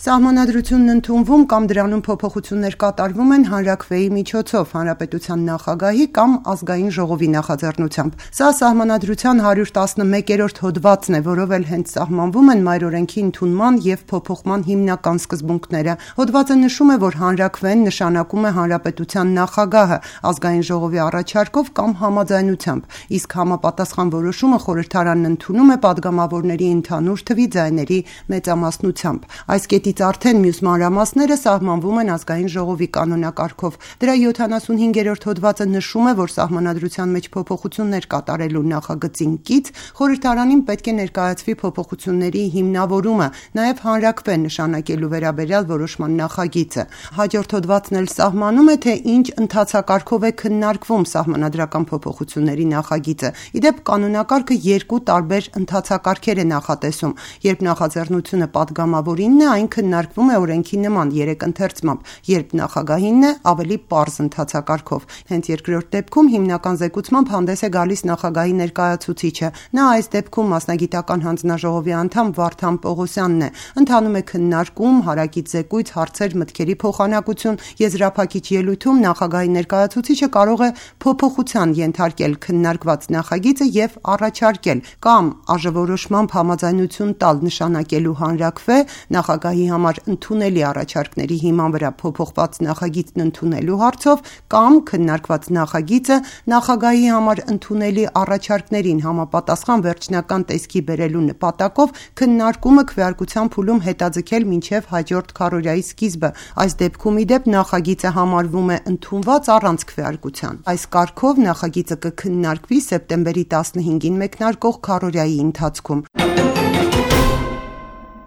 Սահմանադրությունն ընդունվում կամ դրանում փոփոխություններ կատարվում են հանրաքվեի միջոցով, հանրապետության նախագահի կամ ազգային ժողովի նախաձեռնությամբ։ Սա Սահմանադրության 111-րդ հոդվածն է, որով էլ հենց սահմանվում են մայրօրենքի ընդունման և փոփոխման հիմնական սկզբունքները։ Հոդվածը նշում է, որ հանրաքվեն նշանակում է հանրապետության նախագահը ազգային ժողովի առաջարկով կամ համաձայնությամբ, իսկ համապատասխան որոշումը խորհրդարանն ընդունում է պատգամավորների ընդհանուր թվի ձայների մեծամասնությամբ։ Այս կետից արդեն մյուս մանրամասները սահմանվում են ազգային ժողովի կանոնակարգով։ Դրա 75-րդ հոդվածը նշում է, որ սահմանադրության մեջ փոփոխություններ կատարելու նախագծին կից խորհրդարանին պետք է ներկայացվի փոփոխությունների հիմնավորումը, նաև հանրաքվե նշանակելու վերաբերյալ որոշման նախագիծը։ Հաջորդ հոդվածն էլ սահմանում է, թե ինչ ընթացակարգով է քննարկվում սահմանադրական փոփոխությունների նախագիծը։ Իդեպ կանոնակարգը երկու տարբեր ընթացակարգեր է նախատեսում։ Երբ նախաձեռնությունը պատգամավորինն է, այն քննարկվում է օրենքի նման 3 ընթերցմամբ, երբ նախագահինն է ավելի պարզ ընթացակարգով։ Հենց երկրորդ դեպքում հիմնական զեկուցմամբ հանդես է գալիս նախագահի ներկայացուցիչը։ Նա այս դեպքում մասնագիտական հանձնաժողովի անդամ Վարդան Պողոսյանն է։ Ընթանում է քննարկում, հարակից զեկույց, հարցեր, մտքերի փոխանակություն, եզրափակիչ ելույթում նախագահի ներկայացուցիչը կարող է փոփոխության ենթարկել քննարկված նախագիծը և առաջարկել կամ ԱԺ-որոշմամբ համաձայնություն տալ նշանակելու հանրաքվե, նախագահի համար ընդունելի առաջարկների հիման վրա փոփոխված նախագիծն ընդունելու հարցով կամ քննարկված նախագիծը նախագահի համար ընդունելի առաջարկներին համապատասխան վերջնական տեսքի բերելու նպատակով քննարկումը քվեարկության փուլում հետաձգել մինչև հաջորդ քառօրյայի սկիզբը։ Այս դեպքում իդեպ նախագիծը համարվում է ընդունված առանց քվեարկության։ Այս կարգով նախագիծը կքննարկվի սեպտեմբերի 15-ին մեկնարկող քառօրյայի ընթացքում։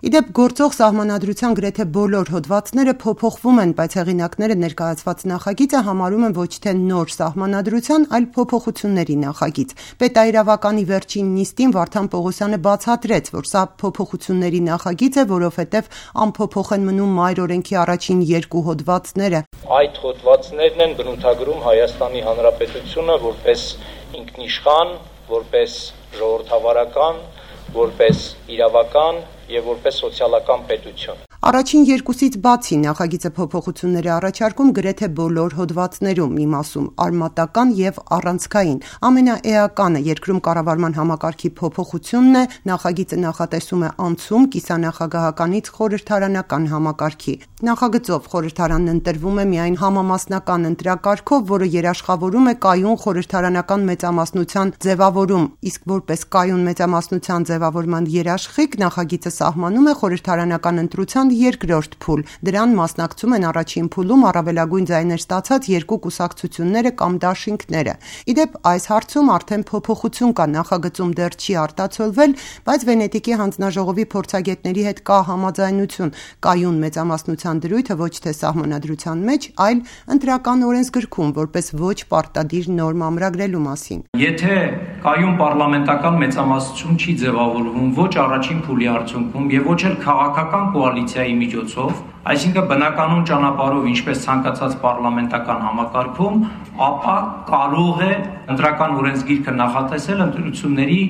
Իդեպ գործող սահմանադրության գրեթե բոլոր հոդվածները փոփոխվում են, բայց հեղինակները ներկայացված նախագիծը համարում են ոչ թե նոր սահմանադրության, այլ փոփոխությունների նախագիծ։ Պետաիրավականի վերջին նիստին Վարդան Պողոսյանը բացատրեց, որ սա փոփոխությունների նախագիծ է, որովհետև անփոփոխ են մնում մայրօրենքի առաջին երկու հոդվածները։ Այդ հոդվածներն են բնութագրում Հայաստանի Հանրապետությունը որպես ինքնիշխան, որպես ժողովրդավարական, որպես իրավական և որպես սոցիալական պետություն։ Առաջին երկուսից բացի նախագիծը փոփոխություններ է առաջարկում գրեթե բոլոր հոդվածներում, մի մասում արմատական և առանցքային։ Ամենաէականը երկրում կառավարման համակարգի փոփոխությունն է, նախագիծը նախատեսում է անցում կիսանախագահականից խորհրդարանական համակարգի։ Նախագծով խորհրդարանն ընտրվում է միայն համամասնական ընտրակարգով, որը երաշխավորում է կայուն խորհրդարանական մեծամասնության ձևավորում, իսկ որպես կայուն մեծամասնության ձևավորման երաշխիք նախագիծը սահմանում է խորհրդարանական ընտրության երկրորդ փուլ։ Դրան մասնակցում են առաջին փուլում առավելագույն ձայներ ստացած երկու կուսակցությունները կամ դաշինքները։ Իդեպ այս հարցում արդեն փոփոխություն կա, նախագծում դեռ չի արտացոլվել, բայց Վենետիկի հանձնաժողովի փորձագետների հետ կա համաձայնություն կայուն մեծամասնության դրույթը ոչ թե սահմանադրության մեջ, այլ ընտրական օրենսգրքում որպես ոչ պարտադիր նորմ ամրագրելու մասին։ Եթե կայուն պարլամենտական մեծամասնություն չի ձևավորվում ոչ առաջին փուլի արդյունքում եւ ոչ էլ քաղաքական կոալիցիայի միջոցով, այսինքն բնականon ճանապարհով, ինչպես ցանկացած պարլամենտական համակարգում, ապա կարող է ընտրական օրենսգիրքը նախատեսել ընտրությունների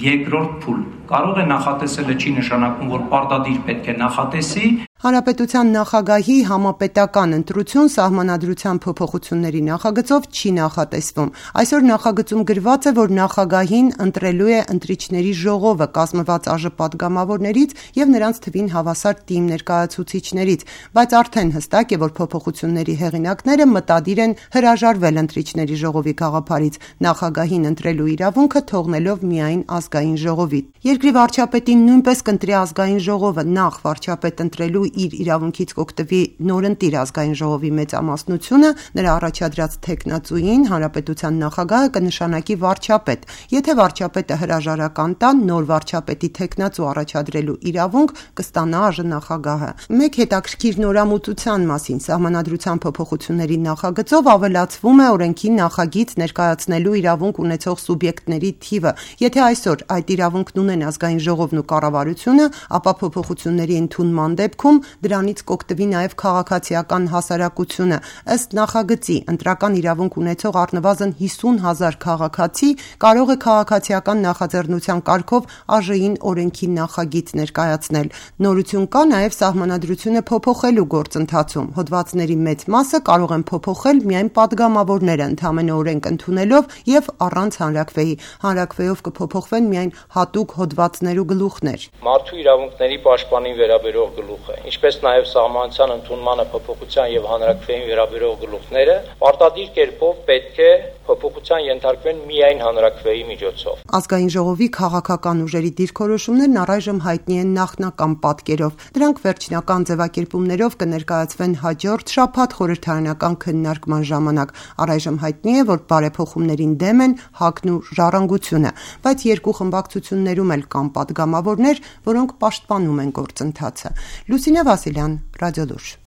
երկրորդ փուլ։ Կարող է նախատեսելը չի նշանակում, որ պարտադիր պետք է նախատեսի։ Հանրապետության նախագահի համապետական ընտրություն սահմանադրության փոփոխությունների նախագծով չի նախատեսվում։ Այսօր նախագծում գրված է, որ նախագահին ընտրելու է ընտրիչների ժողովը, կազմված ԱԺ պատգամավորներից եւ նրանց թվին հավասար թիմ ներկայացուցիչներից, բայց արդեն հստակ է, որ փոփոխությունների հեղինակները մտադիր են հրաժարվել ընտրիչների ժողովի գաղափարից, նախագահին ընտրելու իրավունքը թողնելով միայն ազգային ժողովի։ Երկրի վարչապետին նույնպես կընտրի ազգային ժողովը, նախ վարչապետ ընտրելու իր իրավունքից կօգտվի նորընտիր ազգային ժողովի մեծամասնությունը, նրա առաջադրած թեկնածուին հանրապետության նախագահը կնշանակի վարչապետ։ Եթե վարչապետը հրաժարական տա, նոր վարչապետի թեկնածու առաջադրելու իրավունք կստանա ԱԺ նախագահը։ Մեկ հետաքրքիր նորամուծության մասին սահմանադրության փոփոխությունների նախագծով ավելացվում է օրենքի նախագիծ ներկայացնելու իրավունք ունեցող սուբյեկտների թիվը։ Եթե այսօր այդ իրավունքն ունեն ազգային ժողովն ու կառավարությունը, ապա փոփոխությունների ընդունման դեպքում դրանից կօգտվի նաև քաղաքացիական հասարակությունը։ Ըստ նախագծի, ընտրական իրավունք ունեցող առնվազն 50,000 քաղաքացի կարող է քաղաքացիական նախաձեռնության կարգով ԱԺ-ին օրենքի նախագիծ ներկայացնել։ Նորություն կա նաև սահմանադրությունը փոփոխելու գործընթացում։ Հոդվածների մեծ մասը կարող են փոփոխել միայն падգամավորները, ընդամենը օրենք ընդունելով եւ առանց հանրաքվեի։ Հանրաքվեով կփոփոխվեն միայն հատուկ հոդվածներ ու գլուխներ։ Մարդու իրավունքների պաշտպանին վերաբերող գլուխը, ինչպես նաև սահմանության ընդունմանը փոփոխության եւ հանրաքվեին վերաբերող գլուխները պարտադիր կերպով պետք է փոփոխության ենթարկվեն միայն հանրաքվեի միջոցով։ Ազգային ժողովի քաղաքական ուժերի դիրքորոշումներն առայժմ հայտնի են նախնական պատկերով։ Դրանք վերջնական ձևակերպումներով կներկայացվեն հաջորդ շաբաթ խորհրդարանական քննարկման ժամանակ։ Առայժմ հայտնի է, որ բարեփոխումներին դեմ են ՀԱԿ-ն ու Ժառանգությունը, բայց երկու խմբակցություններում էլ կան падգամավորներ, որոնք պաշտպանում են գործընթացը։ Լուսինե Վասիլյան, Ռադիոլուրջ։